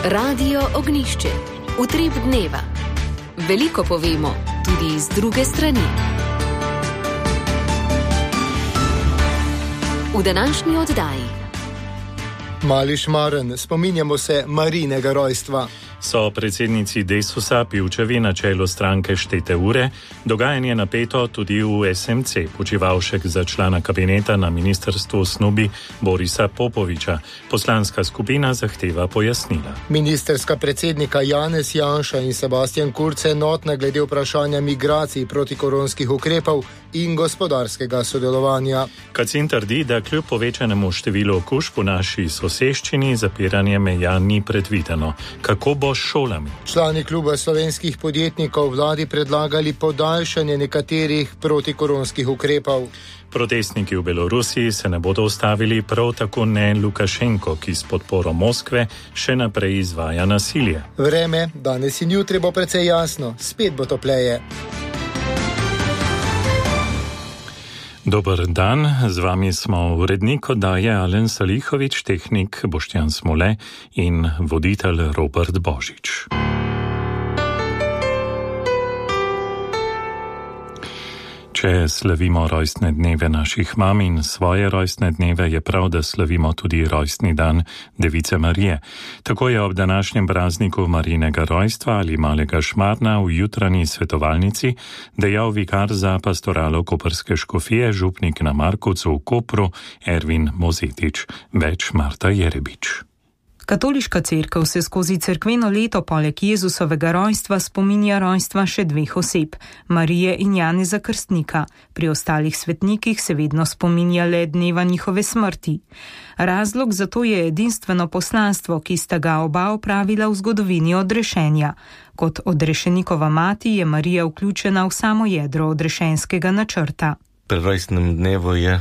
Radio Ognjišče. Utrip dneva. Veliko povemo, tudi iz druge strani. V današnji oddaji. Mali Šmaren, spominjamo se Marijinega rojstva. So predsednici Desusa Pivčevi na čelu stranke štete ure, dogajanje napeto tudi v SMC, Počivalšek za člana kabineta na ministrstvu snubi Borisa Popoviča. Poslanska skupina zahteva pojasnila. Ministerska predsednika Janez Janša in Sebastian Kurz enotna glede vprašanja migracij, protikoronskih ukrepov in gospodarskega sodelovanja. Kacin trdi, da kljub povečanemu številu okužb v naši soseščini zapiranje meja ni predvideno. Kako bo s šolami? Člani kluba slovenskih podjetnikov vladi predlagali podaljšanje nekaterih protikoronskih ukrepov. Protestniki v Belorusiji se ne bodo ustavili, prav tako ne Lukašenko, ki s podporo Moskve še naprej izvaja nasilje. Vreme danes in jutri bo precej jasno, spet bo topleje. Dober dan, z vami smo urednik oddaje Alen Salihovič, tehnik Boštjan Smole in voditelj Robert Božič. Če slavimo rojstne dneve naših mam in svoje rojstne dneve, je prav, da slavimo tudi rojstni dan Device Marije. Tako je ob današnjem prazniku Marijinega rojstva ali Malega Šmarna v jutranji svetovalnici dejal vikar za pastoralo koprske škofije, župnik na Markovcu v Kopru, Ervin Mozetič. Več Marta Jerebič. Katoliška cerkev se skozi cerkveno leto poleg Jezusovega rojstva spominja rojstva še dveh oseb, Marije in Janeza Krstnika. Pri ostalih svetnikih se vedno spominja le dneva njihove smrti. Razlog za to je edinstveno poslanstvo, ki sta ga oba opravila v zgodovini odrešenja. Kot odrešenikova mati je Marija vključena v samo jedro odrešenskega načrta. Pri rojstnem dnevu je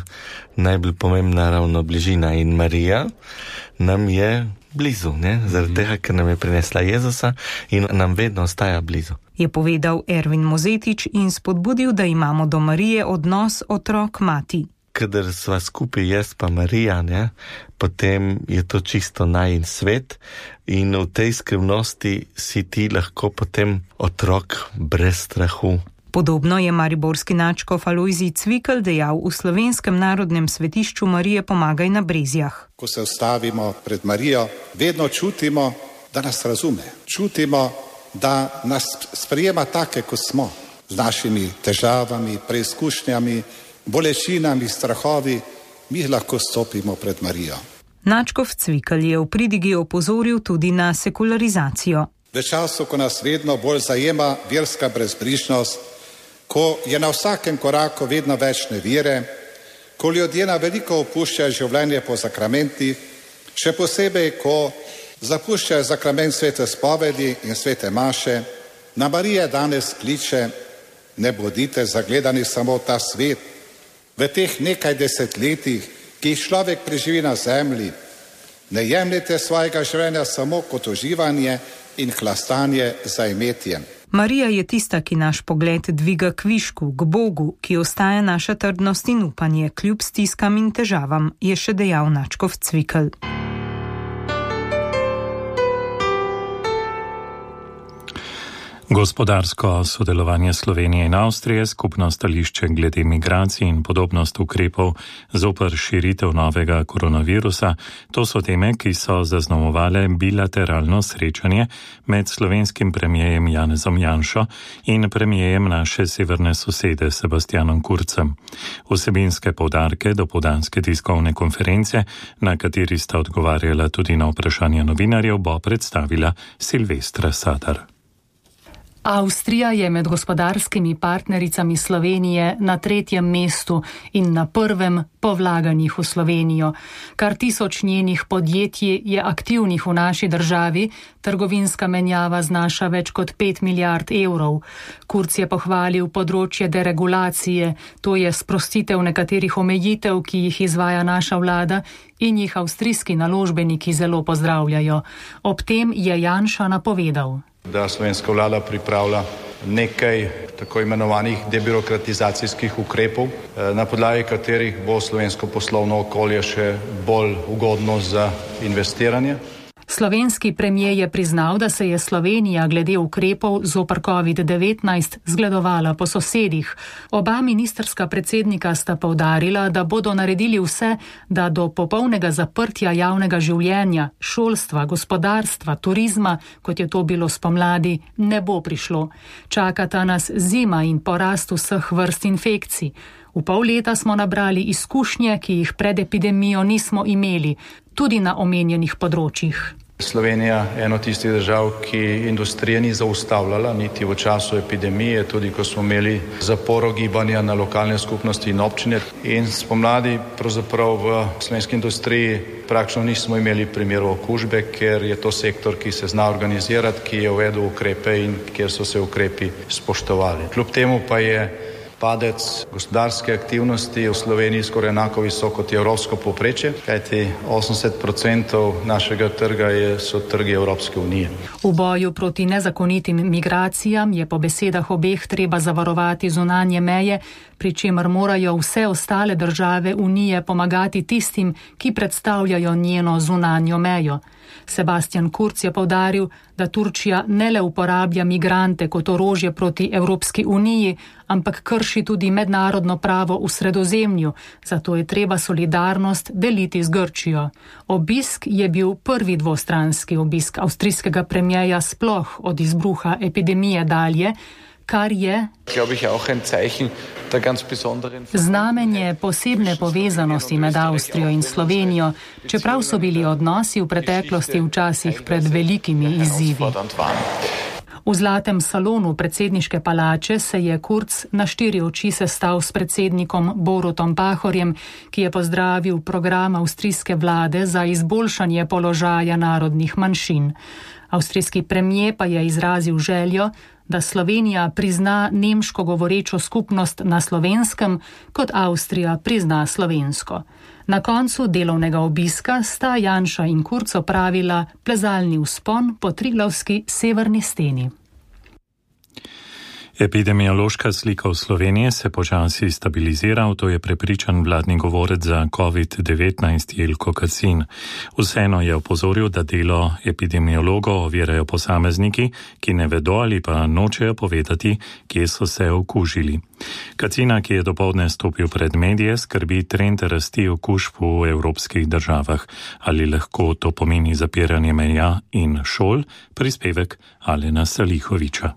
najbolj pomembna ravno bližina in Marija nam je blizu, zaradi tega, ker nam je prinesla Jezusa in nam vedno ostaja blizu. Je povedal Ervin Mozetič in spodbudil, da imamo do Marije odnos otrok-mati. Kadar sva skupaj jaz pa Marija, potem je to čisto najin svet in v tej skrivnosti si ti lahko potem otrok brez strahu. Podobno je mariborski nadškof Alojzij Cvikl dejal v Slovenskem narodnem svetišču Marije Pomagaj na Brezjah. Ko se ustavimo pred Marijo, vedno čutimo, da nas razume. Čutimo, da nas sprejema take, kot smo, z našimi težavami, preizkušnjami, bolečinami, strahovi. Mi lahko stopimo pred Marijo. Nadškof Cvikl je v pridigi opozoril tudi na sekularizacijo. V času, ko nas vedno bolj zajema verska brezbrižnost, ko je na vsakem koraku vedno več nevire, ko ljudje na veliko opuščajo življenje po sakramentih, še posebej, ko zapuščajo sakrament svete spovedi in svete maše, na Marije danes kliče: ne bodite zagledani samo v ta svet. V teh nekaj desetletjih, ki jih človek preživi na zemlji, ne jemljite svojega življenja samo kot uživanje in hlastanje za imetjem. Marija je tista, ki naš pogled dviga k višku, k Bogu, ki ostaja naša trdnost in upanje, kljub stiskam in težavam, je še dejal nadškof Cvikl. Gospodarsko sodelovanje Slovenije in Avstrije, skupno stališče glede migracij in podobnost ukrepov zoper širitev novega koronavirusa, to so teme, ki so zaznamovale bilateralno srečanje med slovenskim premijejem Janezom Janšo in premijejem naše severne sosede Sebastianom Kurzem. Vsebinske poudarke dopoldanske tiskovne konference, na kateri sta odgovarjala tudi na vprašanja novinarjev, bo predstavila Silvestra Sadar. Avstrija je med gospodarskimi partnericami Slovenije na 3. mestu in na 1. po vlaganjih v Slovenijo. Kar 1000 njenih podjetij je aktivnih v naši državi, trgovinska menjava znaša več kot 5 milijard evrov. Kurz je pohvalil področje deregulacije, to je sprostitev nekaterih omejitev, ki jih izvaja naša vlada in jih avstrijski naložbeniki zelo pozdravljajo. Ob tem je Janša napovedal, da slovenska vlada pripravlja nekaj tako imenovanih debirokratizacijskih ukrepov, na podlagi katerih bo slovensko poslovno okolje še bolj ugodno za investiranje. Slovenski premijer je priznal, da se je Slovenija glede ukrepov zoper COVID-19 zgledovala po sosedih. Oba ministrska predsednika sta poudarila, da bodo naredili vse, da do popolnega zaprtja javnega življenja, šolstva, gospodarstva, turizma, kot je to bilo spomladi, ne bo prišlo. Čakata nas zima in porast vseh vrst infekcij. V pol leta smo nabrali izkušnje, ki jih pred epidemijo nismo imeli, tudi na omenjenih področjih. Slovenija je eno tistih držav, ki industrije ni zaustavljala, niti v času epidemije, tudi ko smo imeli zaporo gibanja na lokalne skupnosti in občine. In spomladi pravzaprav v slovenski industriji praktično nismo imeli primerov okužbe, ker je to sektor, ki se zna organizirati, ki je uvedel ukrepe in kjer so se ukrepi spoštovali. Kljub temu pa je padec gospodarske aktivnosti v Sloveniji skoraj enako visok kot je evropsko povprečje, kajti 80% našega trga so trgi Evropske unije. V boju proti nezakonitim migracijam je po besedah obeh treba zavarovati zunanje meje, pri čemer morajo vse ostale države Unije pomagati tistim, ki predstavljajo njeno zunanjo mejo. Sebastian Kurz je poudaril, da Turčija ne le uporablja migrante kot orožje proti Evropski uniji, ampak krši tudi mednarodno pravo v Sredozemlju, zato je treba solidarnost deliti z Grčijo. Obisk je bil prvi dvostranski obisk avstrijskega premierja sploh od izbruha epidemije dalje, kar je znamenje posebne povezanosti med Avstrijo in Slovenijo, čeprav so bili odnosi v preteklosti včasih pred velikimi izzivi. V zlatem salonu predsedniške palače se je Kurz na 4 oči sestal s predsednikom Borutom Pahorjem, ki je pozdravil program avstrijske vlade za izboljšanje položaja narodnih manjšin. Avstrijski premier pa je izrazil željo, da Slovenija prizna nemško govorečo skupnost na Slovenskem, kot Avstrija prizna slovensko. Na koncu delovnega obiska sta Janša in Kurz opravila plezalni vzpon po Triglavski severni steni. Epidemiološka slika v Sloveniji se počasi stabilizira, to je prepričan vladni govorec za COVID-19 Jelko Kacin. Vseeno je opozoril, da delo epidemiologov ovirajo posamezniki, ki ne vedo ali pa nočejo povedati, kje so se okužili. Kacina, ki je dopoldne stopil pred medije, skrbi trend rasti okužb v evropskih državah. Ali lahko to pomeni zapiranje meja in šol? Prispevek Alena Salihoviča.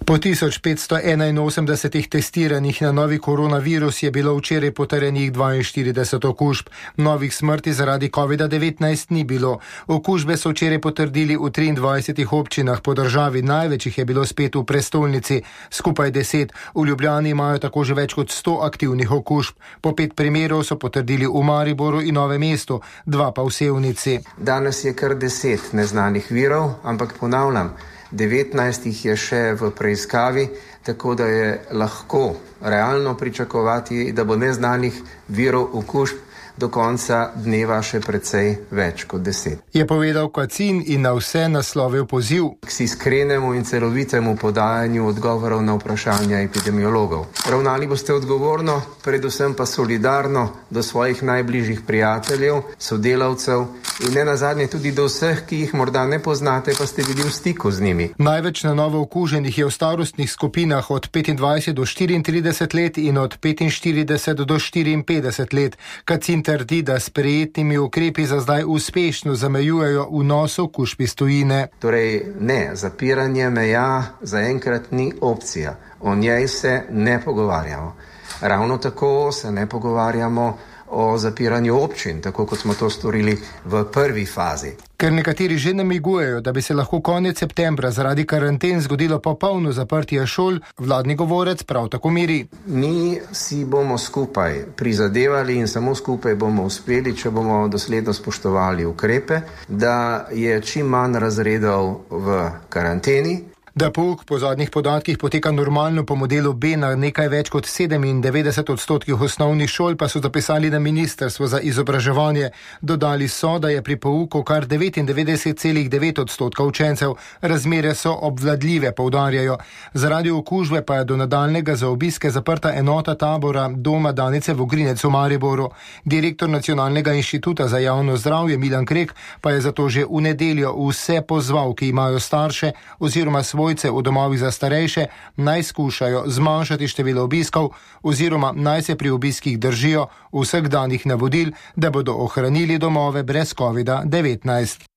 Po 1581 testiranih na novi koronavirus je bilo včeraj potrjenih 42 okužb. Novih smrti zaradi COVID-19 ni bilo. Okužbe so včeraj potrdili v 23 občinah po državi, največ jih je bilo spet v prestolnici, skupaj 10. V Ljubljani imajo tako že več kot 100 aktivnih okužb. Po 5 primerov so potrdili v Mariboru in Novem mestu, 2 pa v Sevnici. Danes je kar 10 neznanih virov, ampak ponavljam, 19 jih je še v preiskavi, tako da je lahko realno pričakovati, da bo neznanih virov okužb do konca dneva še precej več kot 10. Je povedal Kacin in na vse naslovil poziv k iskrenemu in celovitemu podajanju odgovorov na vprašanja epidemiologov. Ravnali boste odgovorno, predvsem pa solidarno do svojih najbližjih prijateljev, sodelavcev in nenazadnje tudi do vseh, ki jih morda ne poznate, pa ste bili v stiku z njimi. Največ na novo okuženih je v starostnih skupinah od 25 do 34 let in od 45 do 54 let. Kacin trdi, da s sprejetimi ukrepi za zdaj uspešno zamejujejo vnos okužb iz tujine. Torej ne, zapiranje meja zaenkrat ni opcija. O njej se ne pogovarjamo. Ravno tako se ne pogovarjamo o zapiranju občin, tako kot smo to storili v prvi fazi. Ker nekateri že namigujejo, da bi se lahko konec septembra zaradi karanten zgodilo popolno zaprtje šol, vladni govorec prav tako miri. Mi si bomo skupaj prizadevali in samo skupaj bomo uspeli, če bomo dosledno spoštovali ukrepe, da je čim manj razredov v karanteni. Da pouk po zadnjih podatkih poteka normalno po modelu B na nekaj več kot 97% osnovnih šol, pa so zapisali na Ministrstvo za izobraževanje. Dodali so, da je pri pouku kar 99,9% učencev. Razmere so obvladljive, poudarjajo. Zaradi okužbe pa je do nadaljnega za obiske zaprta enota tabora Doma Danice Vogrinec v Mariboru. Direktor Nacionalnega inštituta za javno zdravje Milan Krek pa je zato že v nedeljo vse pozval, ki imajo starše oziroma svojce v domovih za starejše, naj skušajo zmanjšati število obiskov oziroma naj se pri obiskih držijo vseh danih navodil, da bodo ohranili domove brez COVID-19.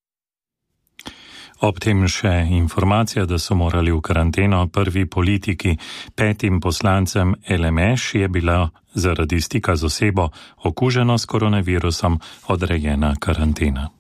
Ob tem še informacija, da so morali v karanteno prvi politiki. 5 poslancem LMŠ je bila zaradi stika z osebo okuženo s koronavirusom odrejena karantena.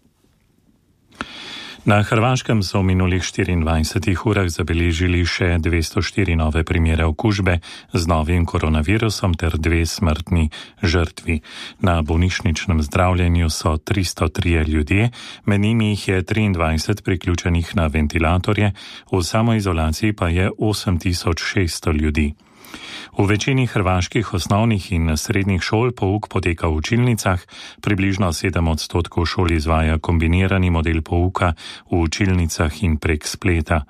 Na Hrvaškem so v minulih 24 urah zabeležili še 204 nove primere okužbe z novim koronavirusom ter 2 smrtni žrtvi. Na bolnišničnem zdravljenju so 303 ljudje, med njimi jih je 23 priključenih na ventilatorje, v samoizolaciji pa je 8600 ljudi. V večini hrvaških osnovnih in srednjih šol pouk poteka v učilnicah, približno 7% šol izvaja kombinirani model pouka v učilnicah in prek spleta.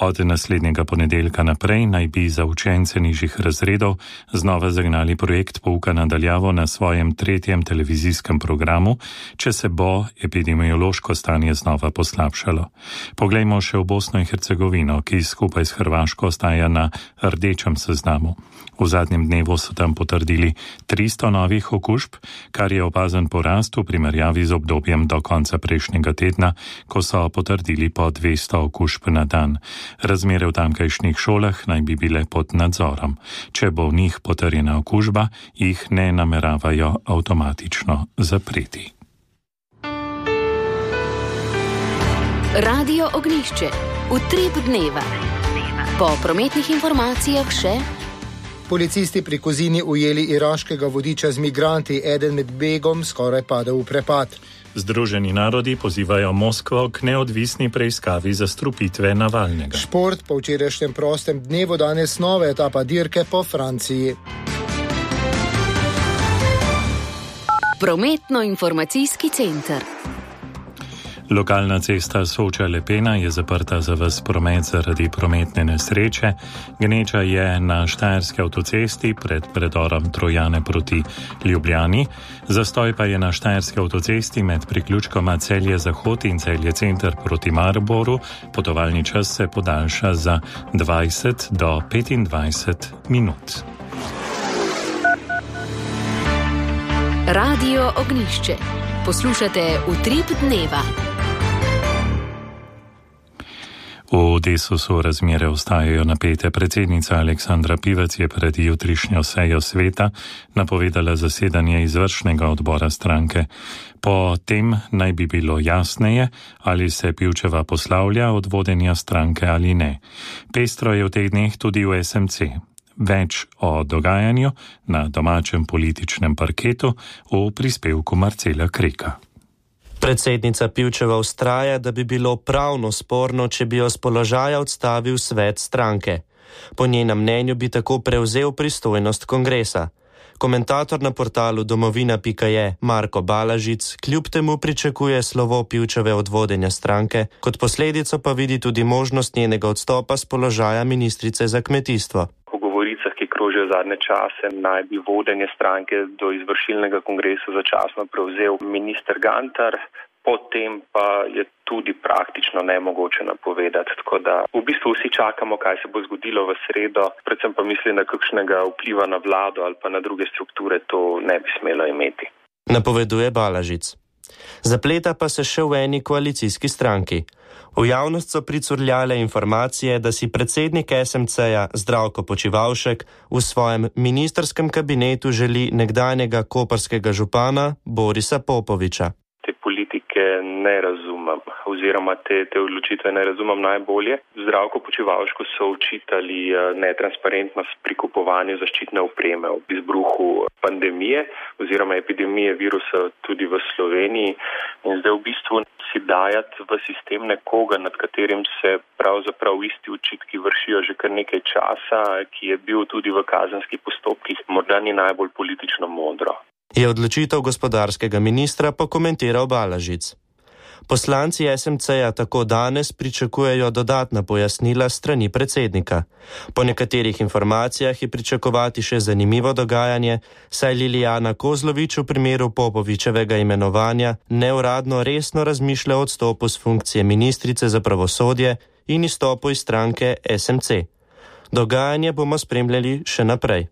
Od naslednjega ponedeljka naprej naj bi za učence nižjih razredov znova zagnali projekt pouka nadaljavo na svojem 3. televizijskem programu, če se bo epidemiološko stanje znova poslabšalo. Poglejmo še v Bosno in Hercegovino, ki skupaj s Hrvaško ostaja na rdečem seznamu. V zadnjem dnevu so tam potrdili 300 novih okužb, kar je opazen porast v primerjavi z obdobjem do konca prejšnjega tedna, ko so potrdili po 200 okužb na dan. Razmere v tamkajšnjih šolah naj bi bile pod nadzorom. Če bo v njih potrjena okužba, jih ne nameravajo avtomatično zapreti. Radio Ognjišče. Utrip dneva. Po prometnih informacijah še... Policisti pri Kozini ujeli iraškega vodiča z migranti, eden med begom skoraj padel v prepad. Združeni narodi pozivajo Moskvo k neodvisni preiskavi zastrupitve Navalnega. Šport po včerajšnjem prostem dnevu, danes nova etapa dirke po Franciji. Prometno-informacijski center. Lokalna cesta Soča-Lepena je zaprta za ves promet zaradi prometne nesreče. Gneča je na štajerski avtocesti pred predorom Trojane proti Ljubljani. Zastoj pa je na štajerski avtocesti med priključkoma Celje-Zahod in Celje-Center proti Mariboru. Potovalni čas se podaljša za 20 do 25 minut. Radio Ognjišče. Poslušate Utrip dneva. V Desusu razmere ostajajo napete. Predsednica Aleksandra Pivec je pred jutrišnjo sejo sveta napovedala zasedanje izvršnega odbora stranke. Po tem naj bi bilo jasneje, ali se Pivčeva poslavlja od vodenja stranke ali ne. Pestro je v teh dneh tudi v SMC. Več o dogajanju na domačem političnem parketu v prispevku Marcela Kreka. Predsednica Pivčeva vztraja, da bi bilo pravno sporno, če bi jo z položaja odstavil svet stranke. Po njenem mnenju bi tako prevzel pristojnost kongresa. Komentator na portalu domovina.je Marko Balažic kljub temu pričakuje slovo Pivčeve od vodenja stranke, kot posledico pa vidi tudi možnost njenega odstopa z položaja ministrice za kmetijstvo. Ki krožijo zadnje čase, naj bi vodenje stranke do izvršilnega kongresa začasno prevzel minister Gantar, potem pa je tudi praktično nemogoče napovedati. Tako da v bistvu vsi čakamo, kaj se bo zgodilo v sredo, predvsem pa mislim, da kakšnega vpliva na vlado ali pa na druge strukture to ne bi smelo imeti. Napoveduje Balažic. Zapleta pa se še v eni koalicijski stranki. V javnost so pricurljale informacije, da si predsednik SMC-ja Zdravko Počivalšek v svojem ministrskem kabinetu želi nekdanjega koprskega župana Borisa Popoviča. Te politike ne razumem, oziroma te odločitve ne razumem najbolje. Zdravko Počivalšku so očitali netransparentnost pri kupovanju zaščitne opreme ob izbruhu pandemije oziroma epidemije virusa tudi v Sloveniji. In zdaj v bistvu si dajati v sistem nekoga, nad katerim se pravzaprav isti očitki vršijo že kar nekaj časa, ki je bil tudi v kazenskih postopkih, morda ni najbolj politično modro. Je odločitev gospodarskega ministra pa komentiral Balažic. Poslanci SMC-ja tako danes pričakujejo dodatna pojasnila strani predsednika. Po nekaterih informacijah je pričakovati še zanimivo dogajanje, saj Lilijana Kozlovič v primeru Popovičevega imenovanja neuradno resno razmišlja o odstopu z funkcije ministrice za pravosodje in izstopu iz stranke SMC. Dogajanje bomo spremljali še naprej.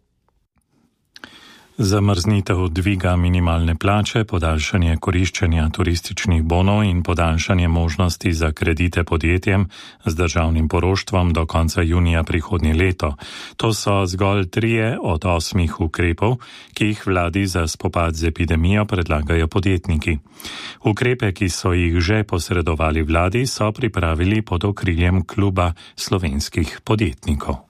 Zamrznitev dviga minimalne plače, podaljšanje koriščenja turističnih bonov in podaljšanje možnosti za kredite podjetjem z državnim poroštvom do konca junija prihodnje leto. To so zgolj 3 od 8 ukrepov, ki jih vladi za spopad z epidemijo predlagajo podjetniki. Ukrepe, ki so jih že posredovali vladi, so pripravili pod okriljem Kluba slovenskih podjetnikov.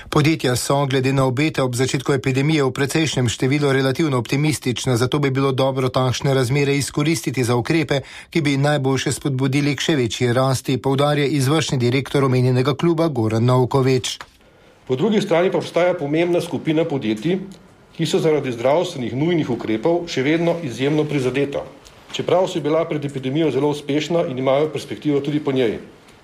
Podjetja so, glede na obete ob začetku epidemije, v precejšnjem številu relativno optimistična, zato bi bilo dobro takšne razmere izkoristiti za ukrepe, ki bi najboljše spodbudili k še večji rasti, poudarja izvršni direktor omenjenega kluba Goran Novkovič. Po drugi strani pa obstaja pomembna skupina podjetij, ki so zaradi zdravstvenih nujnih ukrepov še vedno izjemno prizadeta. Čeprav so bila pred epidemijo zelo uspešna in imajo perspektivo tudi po njej.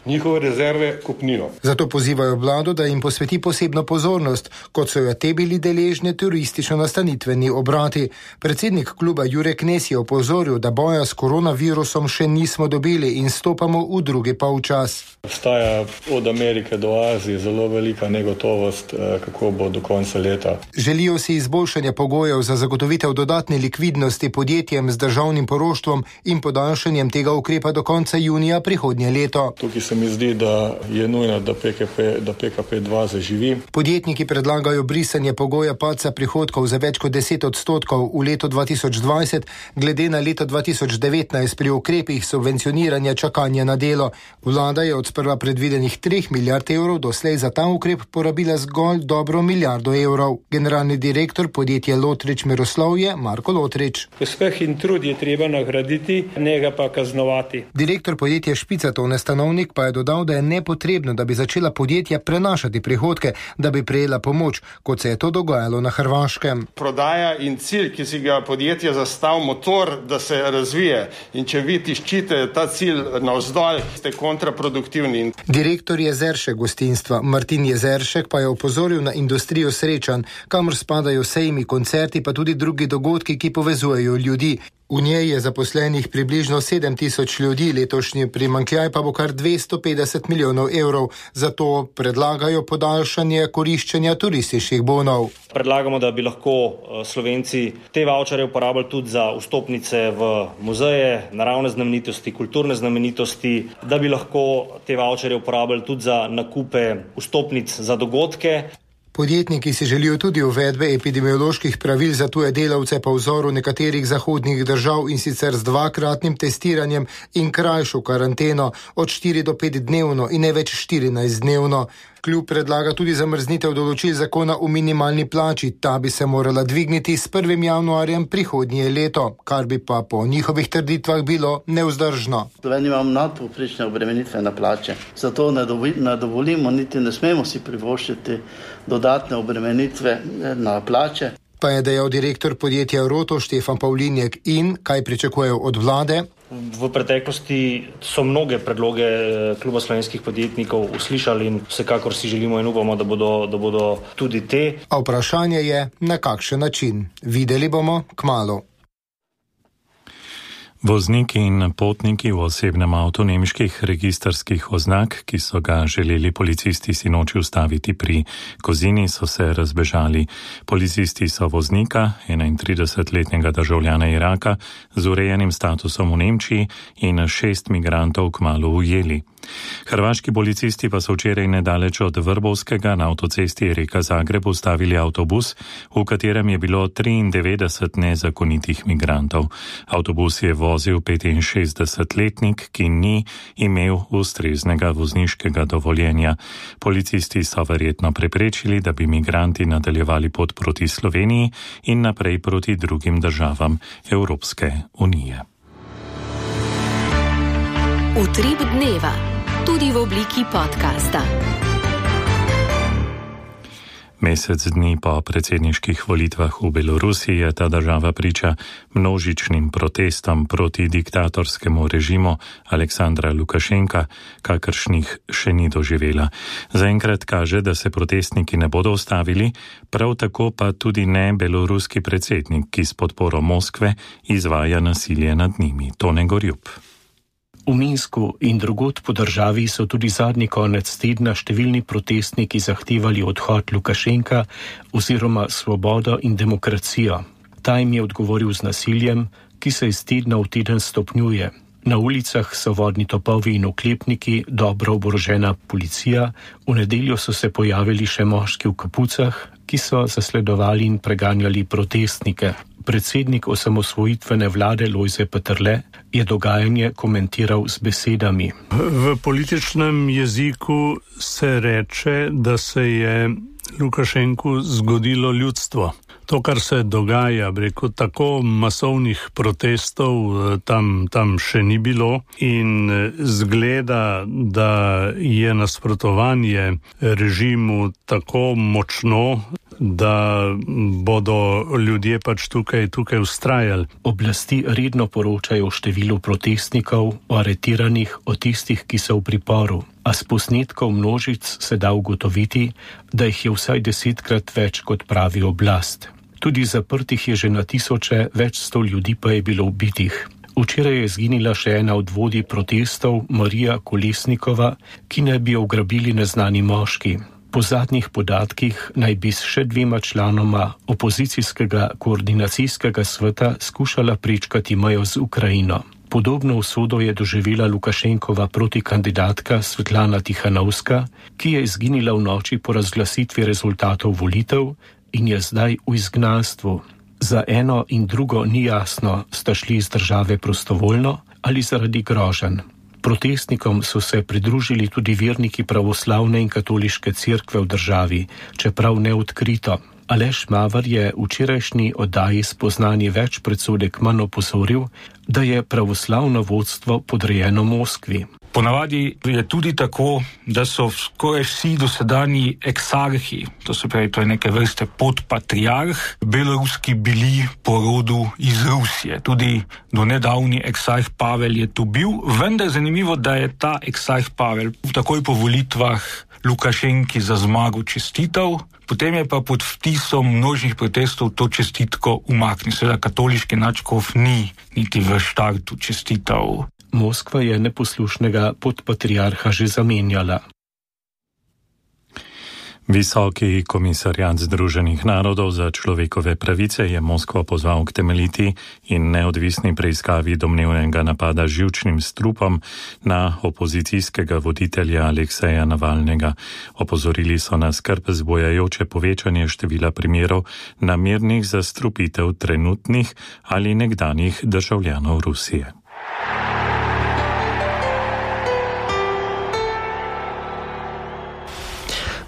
Njihove rezerve kopnijo. Zato pozivajo vlado, da jim posveti posebno pozornost, kot so jo te bili deležne turistično-nastanitveni obrati. Predsednik kluba Jure Knes je opozoril, da boja s koronavirusom še nismo dobili in stopamo v drugi polčas. Obstaja od Amerike do Azije zelo velika negotovost, kako bo do konca leta. Želijo si izboljšanja pogojev za zagotovitev dodatne likvidnosti podjetjem z državnim poroštvom in podaljšanjem tega ukrepa do konca junija prihodnje leto. Tukaj se mi zdi, da je nujno, da PKP2 zaživi. Podjetniki predlagajo brisanje pogoja padca prihodkov za več kot 10% v letu 2020, glede na leto 2019 pri ukrepih subvencioniranja čakanja na delo. Vlada je od sprva predvidenih 3 milijard evrov doslej za ta ukrep porabila zgolj dobro 1 milijardo evrov. Generalni direktor podjetja Lotrič Miroslavje Marko Lotrič. Uspeh in trud je treba nagraditi, ne ga pa kaznovati. Direktor podjetja Špica Tone Stanovnik pa je dodal, da je nepotrebno, da bi začela podjetja prenašati prihodke, da bi prejela pomoč, kot se je to dogajalo na Hrvaškem. Prodaja in cilj, ki si ga podjetje zastav motor, da se razvije. In če vi tiščite ta cilj navzdolj, ste kontraproduktivni. Direktor Jezeršek gostinstva Martin Jezeršek pa je opozoril na industrijo srečanj, kamor spadajo sejmi, koncerti pa tudi drugi dogodki, ki povezujejo ljudi. V njej je zaposlenih približno 7.000 ljudi, letošnji primanjkljaj pa bo kar 250 milijonov evrov. Zato predlagajo podaljšanje koriščenja turističnih bonov. Predlagamo, da bi lahko Slovenci te vavčare uporabljali tudi za vstopnice v muzeje, naravne znamenitosti, kulturne znamenitosti, da bi lahko te vavčare uporabljali tudi za nakupe vstopnic za dogodke. Podjetniki si želijo tudi uvedbe epidemioloških pravil za tuje delavce po vzoru nekaterih zahodnih držav in sicer z 2-kratnim testiranjem in krajšo karanteno od 4 do 5 dnevno in ne več 14 dnevno. Kljub predlaga tudi zamrznitev določil zakona o minimalni plači. Ta bi se morala dvigniti s 1. januarjem prihodnje leto, kar bi pa po njihovih trditvah bilo nevzdržno. Slovenija imamo nadpovprečne obremenitve na plače, zato ne dovolimo, niti ne smemo si privoščiti dodatne obremenitve na plače. Pa je dejal direktor podjetja Roto Štefan Pavlinjek in kaj pričakujejo od vlade. V preteklosti so mnoge predloge Kluba slovenskih podjetnikov uslišali in vsekakor si želimo in upamo, da bodo tudi te. A vprašanje je, na kakšen način. Videli bomo kmalu. Vozniki in potniki v osebnem avtu nemških registrskih oznak, ki so ga želeli policisti sinoči ustaviti pri Kozini, so se razbežali. Policisti so voznika, 31-letnega državljana Iraka, z urejenim statusom v Nemčiji in 6 migrantov kmalu ujeli. Hrvaški policisti pa so včeraj nedaleč od Vrbovskega na avtocesti Rijeka-Zagreb ustavili avtobus, v katerem je bilo 93 nezakonitih migrantov. Avtobus je vozil 65-letnik, ki ni imel ustreznega vozniškega dovoljenja. Policisti so verjetno preprečili, da bi migranti nadaljevali pot proti Sloveniji in naprej proti drugim državam Evropske unije. Utrip dneva, tudi v obliki podcasta. Mesec dni po predsedniških volitvah v Belorusiji je ta država priča množičnim protestom proti diktatorskemu režimu Aleksandra Lukašenka, kakršnih še ni doživela. Zaenkrat kaže, da se protestniki ne bodo ustavili, prav tako pa tudi ne beloruski predsednik, ki s podporo Moskve izvaja nasilje nad njimi. Tone Gorjup. V Minsku in drugod po državi so tudi zadnji konec tedna številni protestniki zahtevali odhod Lukašenka oziroma svobodo in demokracijo. Ta jim je odgovoril z nasiljem, ki se iz tedna v teden stopnjuje. Na ulicah so vodni topovi in oklepniki, dobro oborožena policija, v nedeljo so se pojavili še moški v kapucah, ki so zasledovali in preganjali protestnike. Predsednik osamosvojitvene vlade Lojze Peterle je dogajanje komentiral z besedami. V političnem jeziku se reče, da se je Lukašenku zgodilo ljudstvo. To, kar se dogaja, preko tako masovnih protestov tam še ni bilo in zgleda, da je nasprotovanje režimu tako močno, da bodo ljudje pač tukaj vztrajali. Oblasti redno poročajo o številu protestnikov, o aretiranih, o tistih, ki so v priporu. A s posnetkov množic se da ugotoviti, da jih je vsaj 10-krat več, kot pravi oblast. Tudi zaprtih je že na tisoče, več 100 ljudi pa je bilo ubitih. Včeraj je izginila še ena od vodij protestov, Marija Kolesnikova, ki naj bi jo ugrabili neznani moški. Po zadnjih podatkih naj bi s še 2 članoma opozicijskega koordinacijskega sveta skušala prečkati mejo z Ukrajino. Podobno usodo je doživela Lukašenkova protikandidatka Svetlana Tihanovska, ki je izginila v noči po razglasitvi rezultatov volitev in je zdaj v izgnanstvu. Za eno in drugo ni jasno, sta šli iz države prostovoljno ali zaradi groženj. Protestnikom so se pridružili tudi verniki pravoslavne in katoliške cerkve v državi, čeprav neodkrito. Aleš Mavar je v včerajšnji oddaji Spoznanje več predsodek manj opozoril, da je pravoslavno vodstvo podrejeno Moskvi. Ponavadi je tudi tako, da so skoraj vsi dosedanji eksarhi, to se pravi, to je neke vrste podpatriarh, beloruski bili po rodu iz Rusije. Tudi do nedavni eksarh Pavel je tu bil, vendar zanimivo, da je ta eksarh Pavel takoj po volitvah Lukašenki za zmago čestital, potem je pa pod vtisom množnih protestov to čestitko umaknil. Seveda katoliški nadškof ni niti v štartu čestital. Moskva je neposlušnega podpatriarha že zamenjala. Visoki komisarjat Združenih narodov za človekove pravice je Moskvo pozval k temeljiti in neodvisni preiskavi domnevnega napada z živčnim strupom na opozicijskega voditelja Alekseja Navalnega. Opozorili so na skrb zbujajoče povečanje števila primerov namernih zastrupitev trenutnih ali nekdanjih državljanov Rusije.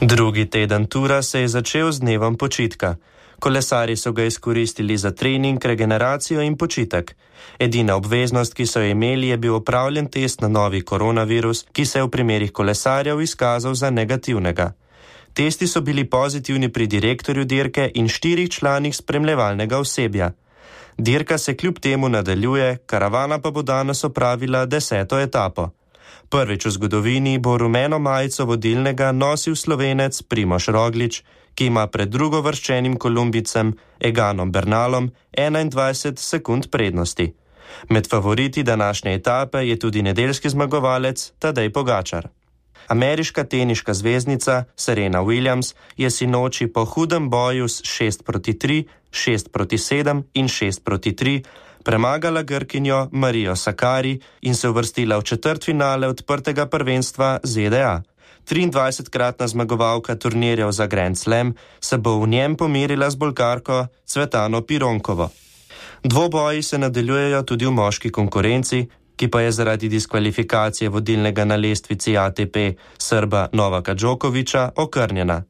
Drugi teden tura se je začel z dnevom počitka. Kolesarji so ga izkoristili za trening, regeneracijo in počitek. Edina obveznost, ki so jo imeli, je bil opravljen test na novi koronavirus, ki se je v primerih kolesarjev izkazal za negativnega. Testi so bili pozitivni pri direktorju dirke in 4 članih spremljevalnega osebja. Dirka se kljub temu nadaljuje, karavana pa bo danes opravila 10. etapo. Prvič v zgodovini bo rumeno majico vodilnega nosil Slovenec Primož Roglič, ki ima pred drugovrščenim Kolumbijcem Eganom Bernalom 21 sekund prednosti. Med favoriti današnje etape je tudi nedeljski zmagovalec Tadej Pogačar. Ameriška teniška zvezdnica Serena Williams je sinoči po hudem boju s 6-3, 6-7 in 6-3 premagala Grkinjo Marijo Sakari in se uvrstila v četrtfinale odprtega prvenstva ZDA. 23-kratna zmagovalka turnirjev za Grand Slam se bo v njem pomirila z Bolgarko Cvetano Pironkovo. Dvoboji se nadaljujejo tudi v moški konkurenci, ki pa je zaradi diskvalifikacije vodilnega na lestvici ATP Srba Novaka Djokovića okrnjena.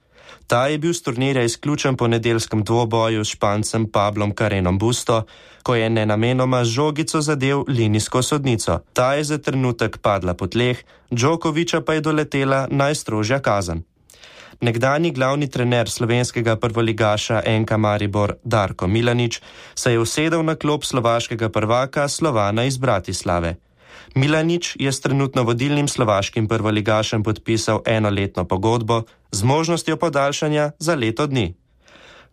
Ta je bil s turnirja izključen po nedeljskem dvoboju s Špancem Pablom Carrenom Busto, ko je nenamenoma žogico zadel linijsko sodnico. Ta je za trenutek padla po tleh, Djokoviča pa je doletela najstrožja kazen. Nekdanji glavni trener slovenskega prvoligaša NK Maribor Darko Milanič se je usedel na klop slovaškega prvaka Slovana iz Bratislave. Milanič je s trenutno vodilnim slovaškim prvoligašem podpisal enoletno pogodbo z možnostjo podaljšanja za leto dni.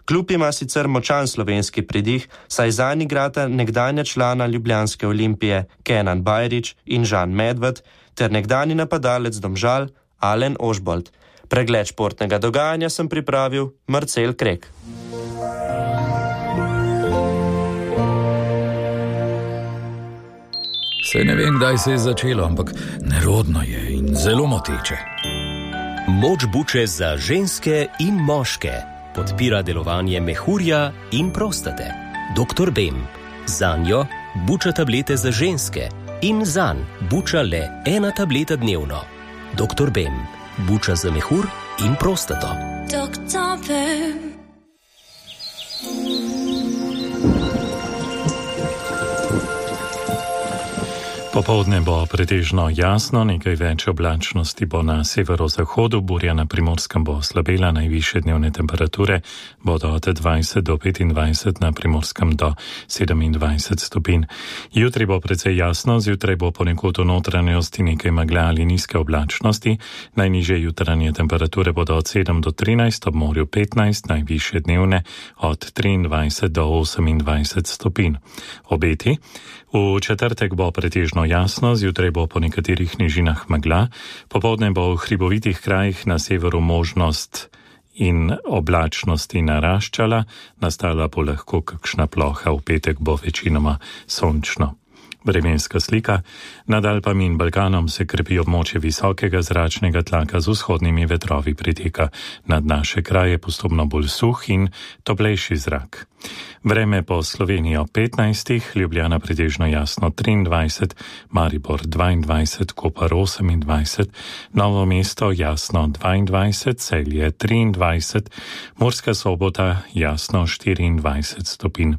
Klub ima sicer močan slovenski pridih, saj zanj igrata nekdanja člana ljubljanske Olimpije Kenan Bajrić in Žan Medved ter nekdanji napadalec Domžal Alen Ožbolt. Pregled športnega dogajanja sem pripravil Marcel Krek. Saj ne vem, kdaj se je začelo, ampak nerodno je in zelo moteče. Moč buče za ženske in moške podpira delovanje mehurja in prostate. Dr. Bem. Zanjo buča tablete za ženske in zanj buča le 1 tableta dnevno. Dr. Bem. Buča za mehur in prostato. Dr. Bem. Popoldne bo pretežno jasno, nekaj več oblačnosti bo na severozahodu, burja na Primorskem bo slabela, najvišje dnevne temperature bodo od 20 do 25, na Primorskem do 27 stopinj. Jutri bo precej jasno, zjutraj bo ponekod v notranjosti nekaj megla ali nizke oblačnosti, najnižje jutranje temperature bodo od 7 do 13, ob morju 15, najvišje dnevne od 23 do 28 stopinj. Obeti. V četrtek bo pretežno jasno, zjutraj bo po nekaterih nižinah megla, popoldne bo v hribovitih krajih na severu možnost in oblačnosti naraščala, nastala bo lahko kakšna ploha, v petek bo večinoma sončno. Vremenska slika. Nad Alpami in Balkanom se krepi območje visokega zračnega tlaka z vzhodnimi vetrovi, priteka nad naše kraje postopno bolj suh in toplejši zrak. Vreme po Slovenijo 15, Ljubljana pretežno jasno 23, Maribor 22, Koper 28, Novo mesto jasno 22, Celje 23, Murska Sobota jasno 24 stopinj.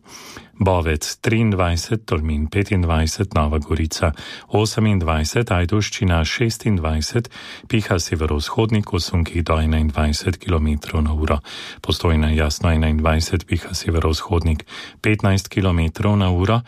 Bovec 23, Tolmin 25, Nova Gorica 28, Ajdovščina 26, piha severovzhodni kosunki do 21 km/h. Postojna jasno 21, piha severovzhodnik 15 km/h.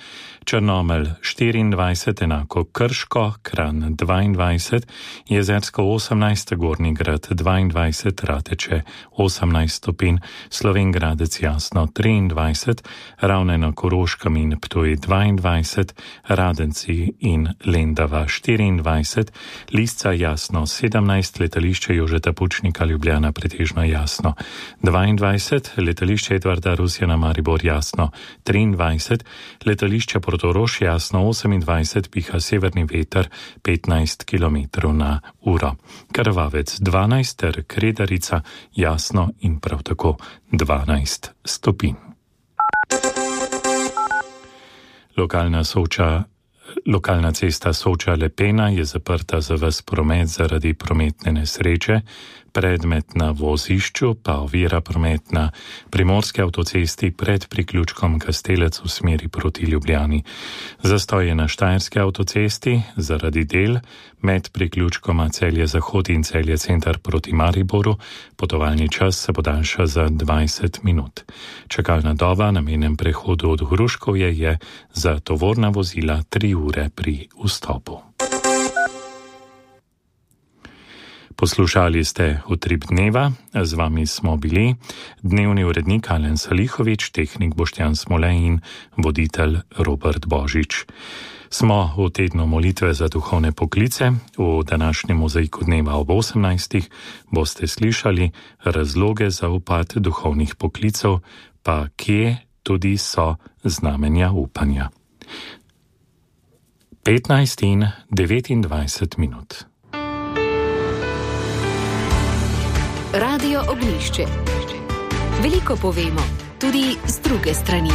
Črnomelj 24, enako Krško, Kranj 22, Jezersko 18, Gornji Grad 22, Rateče 18 stopinj, Slovenj Gradec jasno 23, Ravne na Koroškem in Ptuj 22, Radenci in Lendava 24, Lisca jasno 17, letališče Jožeta Pučnika Ljubljana pretežno jasno 22, letališče Edvarda Rusjana Maribor jasno 23, letališče Portorož jasno 28, piha severni veter 15 km/h. Krvavec 12 ter Kredarica jasno in prav tako 12 stopinj. Lokalna cesta Soča-Lepena je zaprta za ves promet zaradi prometne nesreče, predmet na vozišču pa ovira promet na primorski avtocesti pred priključkom Kastelec v smeri proti Ljubljani. Zastoj je na štajerski avtocesti zaradi del med priključkoma Celje Zahod in Celje Center proti Mariboru. Potovalni čas se podaljša za 20 minut. Čakalna doba na mejnem prehodu od Hruškovje je za tovorna vozila 3 ure pri vstopu. Poslušali ste Utrip dneva, z vami smo bili dnevni urednik Alen Salihovič, tehnik Boštjan Smole in voditelj Robert Božič. Smo v tednu molitve za duhovne poklice. V današnjem mozaiku dneva ob 18. boste slišali razloge za upad duhovnih poklicev, pa kje tudi so znamenja upanja. 15 in 29 minut. Radio Oglišče. Veliko povemo, tudi z druge strani.